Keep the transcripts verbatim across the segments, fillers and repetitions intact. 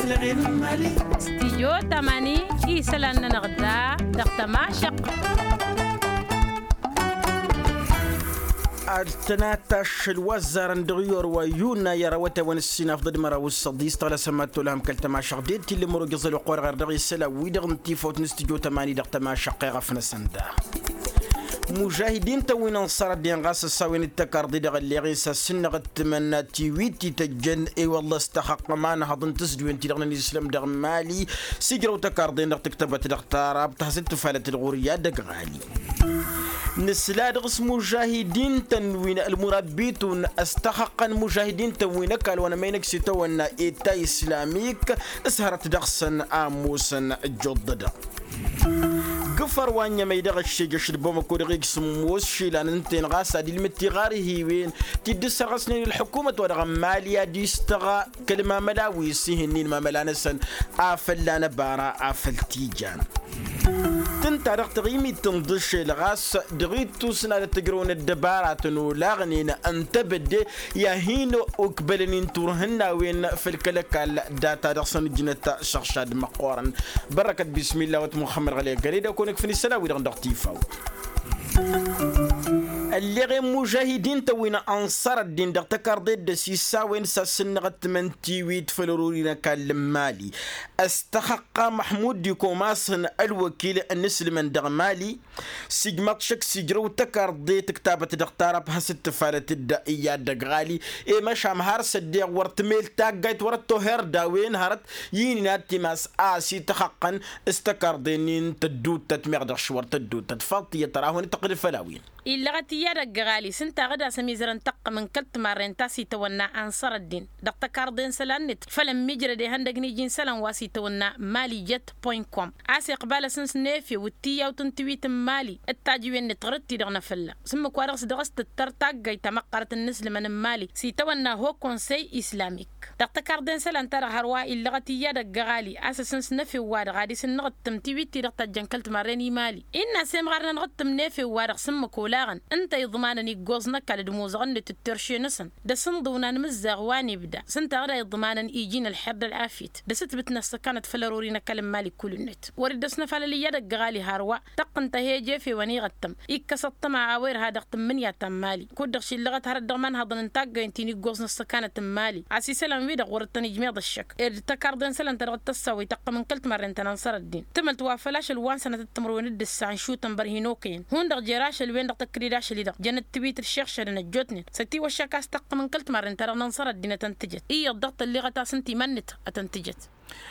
Stijyo tamani isălan-nănăɣ da dăɣ-tămašăɣt. Ad-tănatašăl wa ăzzarăn dăɣ-iyor wa yuna i-ara wătawăn ǝssin afḍăd măraw s-săḍis tăɣlasăm ad-tolhăm kăl-tămašăɣt de t-illăm ărogăẓăl oqor ɣer dăɣ-isălan-wi-dăɣ n-tifawt n-stijyo tamani dăɣ-tămašăɣt iɣăf-năsăn da. Mužahidin-tăn wi n-ănṣăr ăddin ɣas ăssawen d-tăkarḍe dăɣ-ălleɣ-in s-ad-sǝnnăɣ ǝttǝmăn tiwit ti tăjjăn i-wălla s-tăxăqqăm anhăḍ n-tǝzdǝwen-ti-dăɣ n-ănisǝlăm dăɣ-mali. S-ijrăw tăkarḍen-dăɣ tǝktăbăt dăɣ-tarab tăhzǝt tǝfalăt d-ɣur-i ad-ăgg ɣali. Nǝsla dăɣ-s mužahidin-tăn wi n-ălmurabbitun ăstăxăqqăn mužahidin-tăn wi n-ăkall wa n-ămăynăj s-itawănna eta islamik. S-hărăt dăɣ-săn a ămoosăn ăjjuḍ-dăɣ. Gǝfăr wa n-ămăy dăɣ-ăššejăš d-bamăko dăɣ-e-ǝjsǝmmos šilăn ǝnta-en ɣas ad-ilmǝd tiɣarhiwen ti dd-ǝssărɣăsnen ălḥukumăt wa dăɣ-ămmali ad-istăɣ kăl-mamăla wi s-ihǝnnin mamăla-năsăn. Afăl lanăbara afăl tijan tǝnta dăɣ-taɣimit tǝnḍǝšel ɣas dăɣ-ittus n-ad-ăttăjrăwăn ăddăbaratăn olaɣnen ǝntăbădde i-ad-hin-okbălăn-in turhǝnnawen făll-kăl-ăkall. Data dăɣ-săn ǝjnăt šăɣšad măqqoorăn. Bărrăkăt bismilla wăt muxămmăd ɣăle găre d-akăwăn ǝkfǝn isălan-wi-dăɣ dăɣ-tifaw. Ălleɣen mužahidin-tăn wi n-ănṣăr ăddin dăɣ-tăkarḍe dd-ăsissawen s-ad-sǝnnăɣ ǝttǝmăn tiwit făll-ărori n-ăkall n-mali. Ăstăxăqqa măḥmud d-ikomasăn ălwăkil n-inǝslǝmăn dăɣ-mali. S-ijmaḍ šăkk s-ijrăw tăkarḍe tǝktabăt dăɣ-tarab hasǝt-tǝfalăt dd-iyyăd dăgg-ɣali. I-măšan har s-ăddeɣ wăr tǝmel taggayt wăr-ăttoher d-a-wen hărăt i-inin ad-timas a ăsităxăqqăn s-tăkarḍe-nin tădduuttăt meɣ dăɣ-šwăr tădduuttăt faḍt tiyyăt tăra a hawăn-dd-tăqqǝl făll-a-wen. Illăɣăt iyyăd ăgg-ɣali s-ǝnta a ɣǝd-asăm izărăn taqqǝm n-kăl-timarren ta s-itawănna ănṣăr ăddin dăɣ-tăkarḍe n-isălan-net făll-ămmiijrăd ihăndăgg n-iji n-isălan wa s-itawănna mali jet point com. A-s iqbal asǝns n-efew d-tiyyawt n-tiwit n-mali d-tajǝwen-net ɣur-dd-ti-dăɣ n-afălla s-ǝmmǝk-wa-dăɣ s-dăɣ-s tǝttăr taggayt ta măqqărăt n-inǝslǝmăn n-mali s-itawănna ho konsey islamik. Dăɣ-tăkarḍe n-isălan-ta-dăɣ hărwa illăɣăt iyyăd ăgg-ăɣali a-s asǝns n-efew-wa-dăɣ ad-isǝnnăɣ ǝttǝm tiwit-ti-dăɣ tajjăn kăl-timarren i-mali. Innă a-s emɣar n-anăɣ-ǝttǝm n-efew-wa-dăɣ s-ǝmmǝk olaɣăn ǝnta iḍmanăn iggoẓ n-ăkall d-imuzăɣăn-net d-terše-năsăn d-asǝnḍǝw n-anmǝzzaɣ wa n-ibda s-ǝnta a ɣǝd a iḍmanăn iji n-ălxer d-ălafyăt d-asǝtbǝt n-ăssăkanăt făll-ărori n-ăkall n-mali kull-net. Wăr-dd-ăsnăfalăl iyyăd ăgg-ăɣali hărwa tăqqǝn tăhejefewăn iɣăttăm ikkăs ăṭṭăma a-wa irha dăɣ-tǝmmǝnǝya ta n-mali kud-dăɣ šillăɣăt hărăt dăɣ-imanhăḍăn n-taggăyăn ti n-iggoẓ n-ăssăkanăt n-mali a-s isălan-wi-dăɣ wăr-dd-tăn-ijmeḍ ăššăk ed d-tăkarḍe n-isălan ta dăɣ-tăssawăy tăqqǝm n-kăl-timarren ta n-ănṣăr ăddin tǝmălt wa făl ašăl wa n-sănatăt timǝrwen d-ǝssa n-išutăn bărhin okăyăn hundăɣ jer-ašăl-wen-dăɣ tăkkăd-dd ašăl-i-dăɣ jănăt tiwit d-iššăɣšădăn ăjjootnen s-ătiwăššak a-s tăqqǝm n-kăl-timarren ta dăɣ-nănṣăr ăddinăt ăntǝjăt iyyăḍ dăɣ-tălleɣăt a-s ǝnta iman-năt ătăntǝjăt.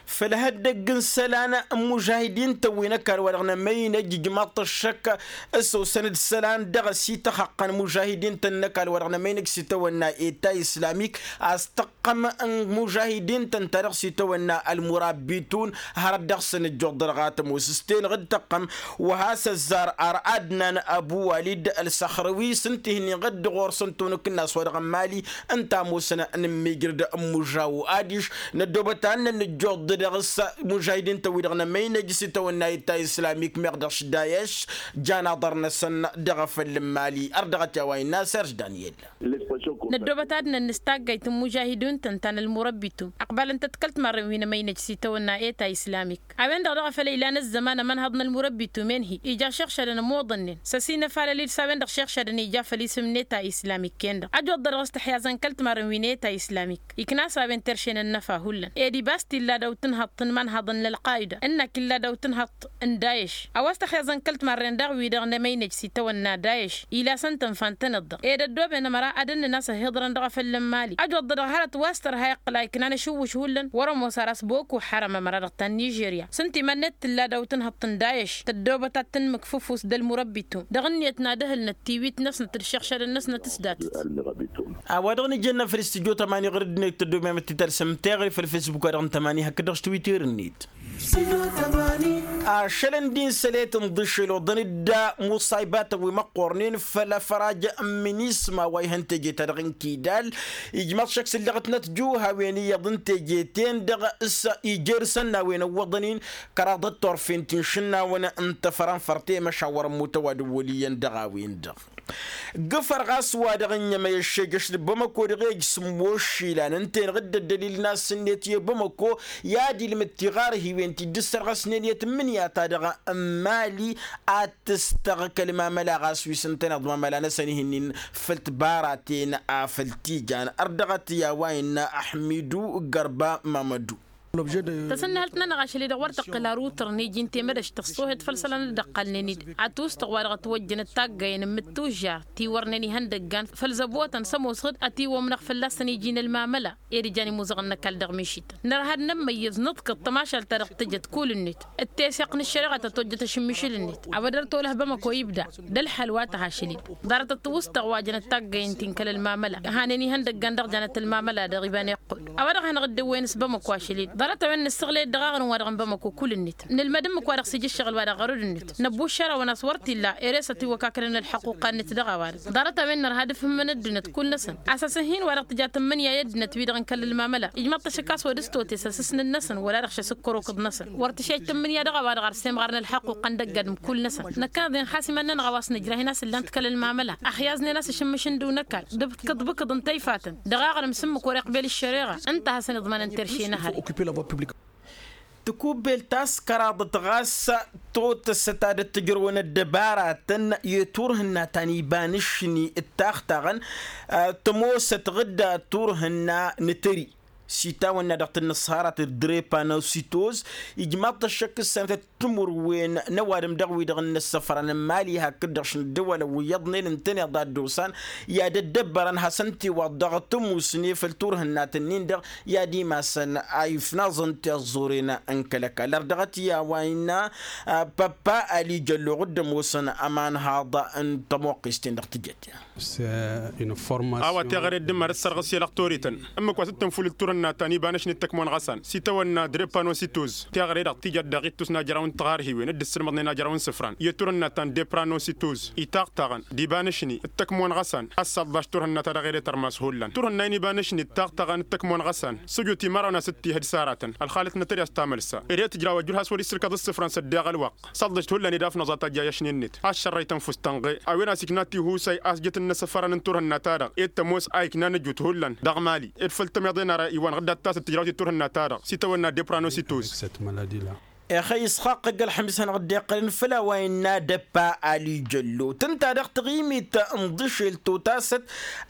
Făll-ihăddăgg n-isălan n-imužahidin-tăn wi n-ăkall wa dăɣ-nămăynăj ijmaḍ-t ăššăk s-osăn-dd isălan dăɣ-s ităxăqqăn imužahidin-tăn n-ăkall wa dăɣ-nămăynăj s-itawănna eta islamik a-s tăqqăm n-imužahidin-tăn ta dăɣ-s itawănna ălmurabbitun. Hărăt dăɣ-săn ǝjjuḍ dăɣ-a tămoos s-tenăɣ d-tăqqăm wa has-ăzzar ar adnan ăbu walid ălsăxrăwi s-ǝnta ih'-nin ɣǝdd ɣur-săn tunǝk-năs wa dăɣ-n mali ǝnta a ămoosăn n-immijrǝd n-imužaw adiš. Năddoobăt ad-nănn ǝjjuḍ dăɣ-s imužahidin-tăn wi-dăɣ n-emăynăj s-itawănna eta islamik meɣ dăɣ-s dayeš. Jan aḍăr-năsăn dăɣ-afăl n-mali ărdăɣăt i-a-wa innă serž daniyel. Năddoobăt ad-nănn s-taggayt n-imužahidun-tăn ta n-ălmurăbbitun ăqbalăn-tăt kăl-timarren wi n-emăynăj s-itawănna eta islamik. A-wen-dăɣ daɣ a făl ila n-ăzzăman ămănhăḍ n-ălmurăbbitum enhi ija šăɣšădăn ămoḍănnen s-ăsinăfalăl-dd s-a-wen-dăɣ šăɣšădăn ija făll-isǝm n-eta islamik-en-dăɣ ăjwăḍ-dăɣ dăɣ-s tăḥyaẓăn kăl-timarren wi n-eta islamik. Ikna a-s a-wen terše n-ănnăfa hullan ed ibas t-illa daw-tǝnhăḍt n-imanhăḍăn n-ălqayda ǝnnak illa daw-tǝnhăḍt n-dayeš. A-wa s-tăxyaẓăn kăl-timarren daɣ-wi-dăɣ n-emăynăj s-itawănna dayeš ila săn tǝnfa n-tănăḍ-dăɣ ed ăddooben ămăra ad-ănnăn a-s ăhiḍărăn dăɣ-afăl n-mali ăjwăḍ-dăɣ hărăt wa s-tărha iqqǝl a iknan ašǝwwǝš hullan wăr-ămoos ar a-s boko haram ămăra dăɣ-ta n-nižerya s-ǝnta iman-net tǝlla daw-tǝnhăḍt n-dayeš tăddoobăt ad-tǝnmǝkfǝfus d-ălmurăbbitum dăɣ-ǝnniyăt n-ad-ǝhǝlnăt tiwit-năsnăt d-išăɣšadăn-năsnăt s-datăt. A-wa dăɣ-nǝjănna făll-istudyo tamani ɣur-dd-net tăddoobem ad-t-tărsǝm teɣăre făll-fesbuk wa dăɣ-n tamani hakd dăɣ-s twitter-net. Ašăl ǝndi n-sălet n-iḍǝššel oḍăn-dd muṣaybatăn wi măqqornen făll-afăraj n-minisma wa ihăn teje-ta-dăɣ n-kidal. Ijmăḍ šăkk s-ǝllăɣătnăt juhawen iyyăḍ n-teje-ten-dăɣ s-ijer isănnawen ǝwwăḍăn-in kăraḍăt turfen ti n-išǝnnawăn n-tafăra n-fărte măšan wăr-ămmut ăwadǝm wăl' iyyăn dăɣ-a-wen-dăɣ. Gǝfăr ɣas wa-dăɣ ǝnnǝmăyăššejăš d-bamăko dăɣ-ej s-ǝmmoššilan ǝnta-en ɣǝddă ăddălil n-asǝnnet i-bamăko i-ad-ilmǝd tiɣarhiwen ti dd-ǝssărɣăsnen i-tǝmmǝnǝya-ta-dăɣ n-mali ad-tǝstăɣ kăl-mamăla ɣas wi s-ǝntăneḍ mamăla-năsăn ihi-nin făll-tibaraten. Afăl t-ijan ărdăɣăt i-a-wa innă ăḥmidu gărba mamădu. Tasǝnnǝhălt-nănăɣ ašăl-i-dăɣ wăr tăqqǝl arutăr n-iji n-temădăš tăṣṣohet făll-isălan dd-ăqqalnen-dd ătwǝstăɣ wa dăɣ-ătwăjjănăt taggayen n-imǝttujjar ti wărnen ihăndăggan făll-zăbotăn s-ămoos ɣǝd ătiwwămnăɣ fălla-săn iji n-ălmamăla. Ed ijan imuzăɣăn n-ăkall dăɣ-mišităn nărha ad-nămmăyyăẓ nǝḍkăḍ tămašalt-ta-dăɣ tǝjăt kull-net d-teseɣt n-ăššăreɣa ta tojjăt ašǝmmišǝl-net. A-wa dăr-tolăh bamăko ibda d-ălḥal wa tăha ašăl-dd ḍarăt ătwǝstăɣ wa jănăt taggayen ti n-kăl-ălmamăla hanen ihăndăggan dăɣ-janăt ălmamăla dăɣ-iba n-iqqul. A-wa-dăɣ hanăɣ-dd-ăwwăyăn s-bamăko ašăl-dd ḍarăt-a-wen nǝssăɣlăy-dd dăɣ-aɣrǝm-wa-dăɣ n-bamăko kull-net nǝlmăd ǝmmǝk-wa-dăɣ s-ija ǝššăɣǝl-wa-dăɣ ɣărud-net năbbuššăr-awăn a-s wăr t-illa ere s-ătiwăkaknăn ălḥăqquqa-net dăɣ-a-wa-dăɣ ḍarăt-a-wen nărha ad-ǝfhǝmmăn ăddinăt kull-năsăn a-s asǝhhin-wa-dăɣ tǝja tǝmmǝnǝya i-ăddinăt wi-dăɣ n-kăl-ălmamăla ijmaḍ-t ašăk a-s wăr dd-stote s-asǝsnǝn-năsăn wăla dăɣ-šăs ǝkkăr okǝḍ-năsăn wăr tǝšej tǝmmǝnǝya dăɣ-a-wa-dăɣ ar semɣar n-ălḥăqquqa n-dăgg-adǝm kull-năsăn. Năkkăneḍ-en xas iman-nănăɣ a-wa s-nǝjrah-in a-s ǝllan-t kăl-ălmamăla ăxyaẓnen a-s ašǝmmǝš n-dăw n-ăkall d-kǝḍbǝkǝḍ n-tayfatăn dăɣ-aɣrǝm s-ǝmmǝk wăr-iqbel ăššăreɣa ǝnta a hasăn-iḍmanăn terše n-ehăre. Tǝkubbel ta s-kăraḍăt ɣas totăsăt ad-ăttăjrăwăn ăddăbaratăn i-turhǝnna ta n-iba n-ašni d-taɣtaɣăn tămoosăt ɣǝdda turhǝnna n-tări s-itawănna dăɣ-tǝnnǝṣharat d-drepanăsitoz. Ijmaḍ-t ăššăk s-sănătăt timǝrwen n-ăwadǝm dăɣ-wi-dăɣ n-inǝssăfran n-imali hakd-dăɣ šund ǝwwălăn wi iyyăḍnen ǝntăneḍ a dd-osan i-ad-ăddăbbărăn hasăn-t-iwaḍ dăɣ-tămusne făll-turhǝnnat-nin-dăɣ i-ad-imasăn a ifnaẓăn tiẓẓuren n-kăl-ăkall ărdăɣăt i-a-wa innă păppa ali jălloɣ dd-ămoosăn ămanhaḍ n-tămoqqist-en dăɣ-tijăt. A-wa teɣăre dd-ǝmmar d-sărɣǝs i-lăqtorităn ǝmmǝk wa s-dd-tǝnfulǝl turhǝnna ta n-iba n-ašni d-tăkmon ɣăsan s-itawănna drepanositoz teɣăre-dăɣ tijăt dăɣ-ittus n-ajraw n-tiɣarhiwen dd-ǝssǝlmăḍnen ajraw n-isǝfran i-turhǝnna ta n-depranositoz itaɣtaɣăn d-iba n-ašni d-tăkmon ɣăsan a-s săḍḍaš turhǝnna ta dăɣ-ere tărmas hullan turhǝnna-in iba n-ašni d-taɣtaɣăn d-tăkmon ɣăsan sujut imărawăn a-s dd-tihǝd s-aratăn ălxalăt n-atări a-s tamălsa ere tǝjraw ăjjur has-wăr-issǝlkăḍ isǝfran s-ăddeɣ ălwăqq săḍḍăš d-hullan ed afnăẓ a tajja i-ašni-net a ăššărrăy tănfust tănɣe a-wen a-s ikna tihusay a-s jăt-dd-inǝsăfărăn n-turhǝnna-ta-dăɣ ed tămoos a ikna n-ăjut hullan dăɣ-mali ed făll-tămeḍe n-ara iwăn ɣǝddat-tasăt tǝjraw-t i-turhǝnna-ta-dăɣ s-itawănna depranositoz. Ixăy s-xaqqăg ălxămis hanăɣ-dd-iqqălăn făll-a-wa innă dăppa ali jăllo tǝnta dăɣ-taɣimit n-iḍǝšel totasăt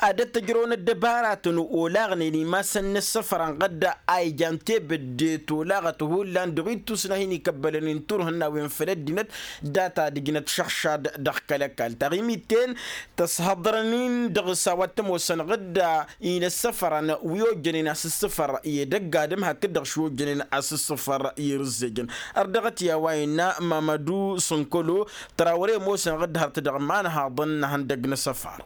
ad-ăttăjrăwăn ăddăbaratăn olaɣnen imasăn n-asǝfran ɣǝdda a ijan tebădde tolaɣăt hullan dăɣ-ittus n-ad-hin-ikăbbălăn inturhǝnnawen făll-ăddinăt data d-ǝjnăt šăɣšad dăɣ-kăl-ăkall taɣimit-ten tăshăḍrăn-in dăɣ-s a-wa t-ămoosăn ɣǝdda inăssăfărăn wi ojjănen asǝssǝfăr i-edăgg adǝm hakd-dăɣ š-ojjănen asǝssǝfăr i-irǝzzejăn. Ărdăɣăt i-a-wa innă mamădu sǝnkălo tăra wăr-e ămoosăn ɣǝdda hărăt dăɣ-imanhaḍăn n-ihăndăgg n-asăfar.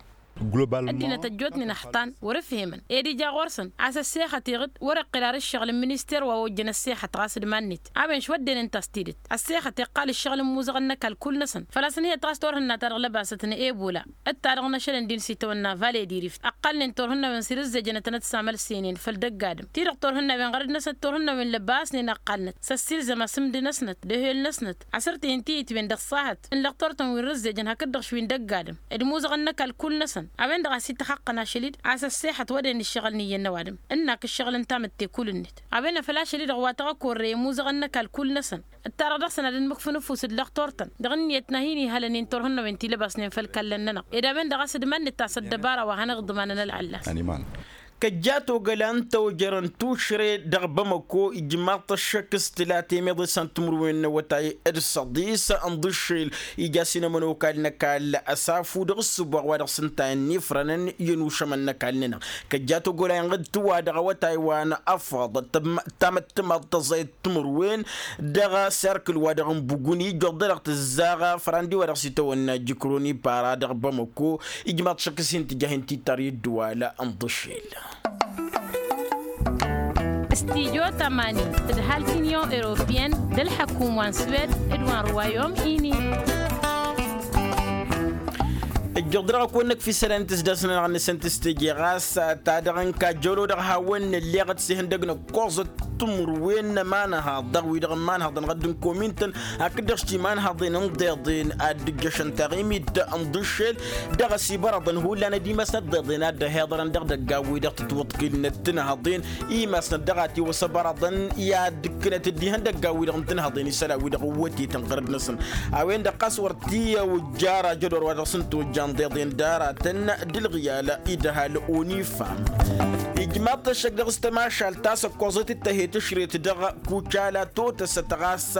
Ăddinăt ăjjootnen ăxtan wăr-ǝfhemăn ed ija ɣur-săn a-s ăssexăt iɣǝd wăr-iqqǝl ar ǝššăɣǝl n-minister wa ojjăn ăssexăt ɣas d-iman-net a-wen šwădden ǝnta a-s tidǝt ăssexăt iqqal ǝššăɣǝl n-imuzăɣăn n-ăkall kull-năsăn făl-a-s ǝnhǝyăt ɣas turhǝnna-ta-dăɣ lăbasăt n-ebola d-ta-dăɣ n-ašăl n-din s-itawănna vale d-irift ăqqalnen turhǝnnawen s-irǝzzejănătănăt s-amălsenen făll-dăgg-adǝm ti-dăɣ turhǝnnawen ɣărăd-năsnăt turhǝnnawen lăbasnen ăqqalnăt s-ăssiilzăm asǝmd-năsnăt d-ehel-năsnăt asǝrtǝy n-tiyǝtwen dăɣ-s ahăt n-lăqtor-tăn wi n-rǝzzejăn hakd-dăɣ šwi n-dăgg-adǝm d-imuzăɣăn n-ăkall kull-năsăn a-wen-dăɣ a-s ităxăqqăn ašăl-dd a-s ăssexăt wădden ǝššăɣǝl n-iyyăn n-ăwadǝm ǝnnak ǝššăɣǝl n-tamǝtte kull-net a-wen a făl ašăl-dd dăɣ-wa tăɣ-ăkorrăy imuzăɣăn n-ăkall kull-năsăn d-ta-dăɣ dăɣ-săn ad-ănmǝkfǝnǝfus d-lăqtor-tăn dăɣ-ǝnniyăt n-ad-hin-ihălăn i-turhǝnnawen ti lăbasnen făll-kallăn-nănăɣ ed a-wen-dăɣ a-s dd-iman-net a-s ăddăbara wa hanăɣ-iḍmanăn ălɣăllas. Kăjjat ogăla n-tawjărăn tušre dăɣ-bamăko ijmaḍ-t ăššăk s-tǝla temăḍe s-ăntǝmǝrwen n-awătay d-săḍis n-iḍǝššel ija s-inămănokal n-ăkall ăsafu dăɣ-ǝssǝboɣ wa dăɣ-s ǝnta ănnifrănăn i-ănušămăn n-ăkall-nănăɣ. Kăjjat ogăla inɣǝd tǝwadăɣ awătay wa n-afăḍ tamăttămaḍt tăẓayăt timǝrwen dăɣ-serkǝl wa dăɣ-n buguni ijjuḍ-dăɣ tǝzzaɣ fărandi wa dăɣ-s itawănna jikroni para dăɣ-bamăko. Ijmaḍ šăkk s-hin-tǝjah intitar i-ǝddǝwal n-iḍǝššel. Studyo tămani tǝdhal t-inyon europiyăn d-ălḥăkum wa n-swed d-wa n-ruwayom ini. Ǝjjăɣ dăɣ-akăwăn-năkf isălan n-tisdasnănăɣ n-asăn tǝstǝje ɣas ta dăɣ-n kajjăwlo dăɣ-hawăn-nălleɣ d-sihǝndăg n-ăkkoẓăt. timǝrwen n-ămanhăḍ dăɣ-wi-dăɣ n-imanhăḍăn ɣǝdd n-komin-tăn hakd-dăɣ s-timanhăḍen n-iḍeḍen ad-dd-ǝjjăšăn taɣimit n-iḍǝššel. Dăɣ-asibărăḍăn hullan ad-imasnăt d-iḍeḍen ad-dd-ăhiḍărăn dăɣ-idăggan-wi-dăɣ tǝtwăḍkǝlnăt tinhăḍen. Imasnăt dăɣ-atiwăsăbărăḍăn i-ad-ǝkkǝnăt dd-ihăndăggan-wi-dăɣ n-tinhăḍen isălan-wi-dăɣ ǝwwătetăn ɣărăd-năsăn. A-wen-dăɣ ɣas wăr t-ija ăjădor wa dăɣ-s n-tojjan d-iḍen d-aratăn d-ǝlɣǝyal idăhal onifam. Ijmaḍ-t ăššăk dăɣ-s tămašalt ta s-ăkkoẓăt d-tăhet ǝšret dăɣ-kucala totăsăt ɣas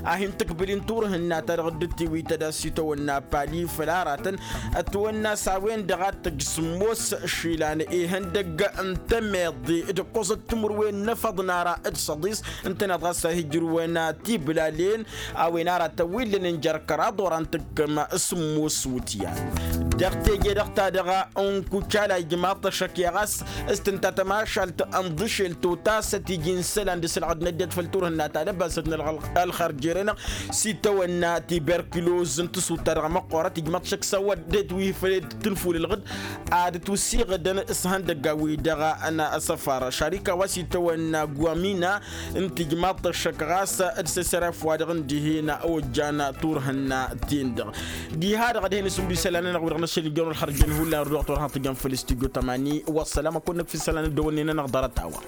a hin-tǝkbǝl-in turhǝnna-ta-dăɣ dd-tiwităd a-s itawănna pali făll-aratăn. Ătwănna s-a-wen-dăɣ a t-tăjj sǝmmos išilan ihăndăgg n-temeḍe d-ǝkkoẓăt timǝrwen n-efăḍ n-ara d-săḍis ǝntăneḍ ɣas a hi-ǝjrǝwăn tibǝlalen. A-wen ara tăwwillăn n-jer-kăraḍ wăr-an tǝkkăm s-sǝmmos wǝtyan. Dăɣ-teje-dăɣ-ta-dăɣ n-kucala ijmaḍ-t ăššăk i-ɣas s-tǝnta tămašalt n-iḍǝšel totasăt iji n-isălan d-isǝlɣǝd n-ăddinăt făll-turhǝnna ta lăbasăt n-ălxăr jer-enăɣ s-itawănna tiberkiloz n-tǝsut-ta-dăɣ măqqoorăt ijmaḍ-t ăššăk s-a-wa dd-etwihǝfăl d-tǝnful ǝlɣǝd. Ad-ătwǝssiɣǝdăn s-ihăndăggan-wi-dăɣ n-asăfar šarika wa s-itawănna guwamina n-tijmaḍt ăššăk ɣas d-sesăref-wa-dăɣ n-dihen ojjan turhǝnna-ten-dăɣ. Diha-dăɣ ad-hen-isǝmdu isălan-nănăɣ wi-dăɣ n-ašăl ijăn wăr hărjăn hullan ărdăɣăt wăr hătăjăn făll-studyo tămani. Wăssălam ad-kăwăn-năkf isălan dd-ăwănne-nănăɣ ḍarăt a-wa.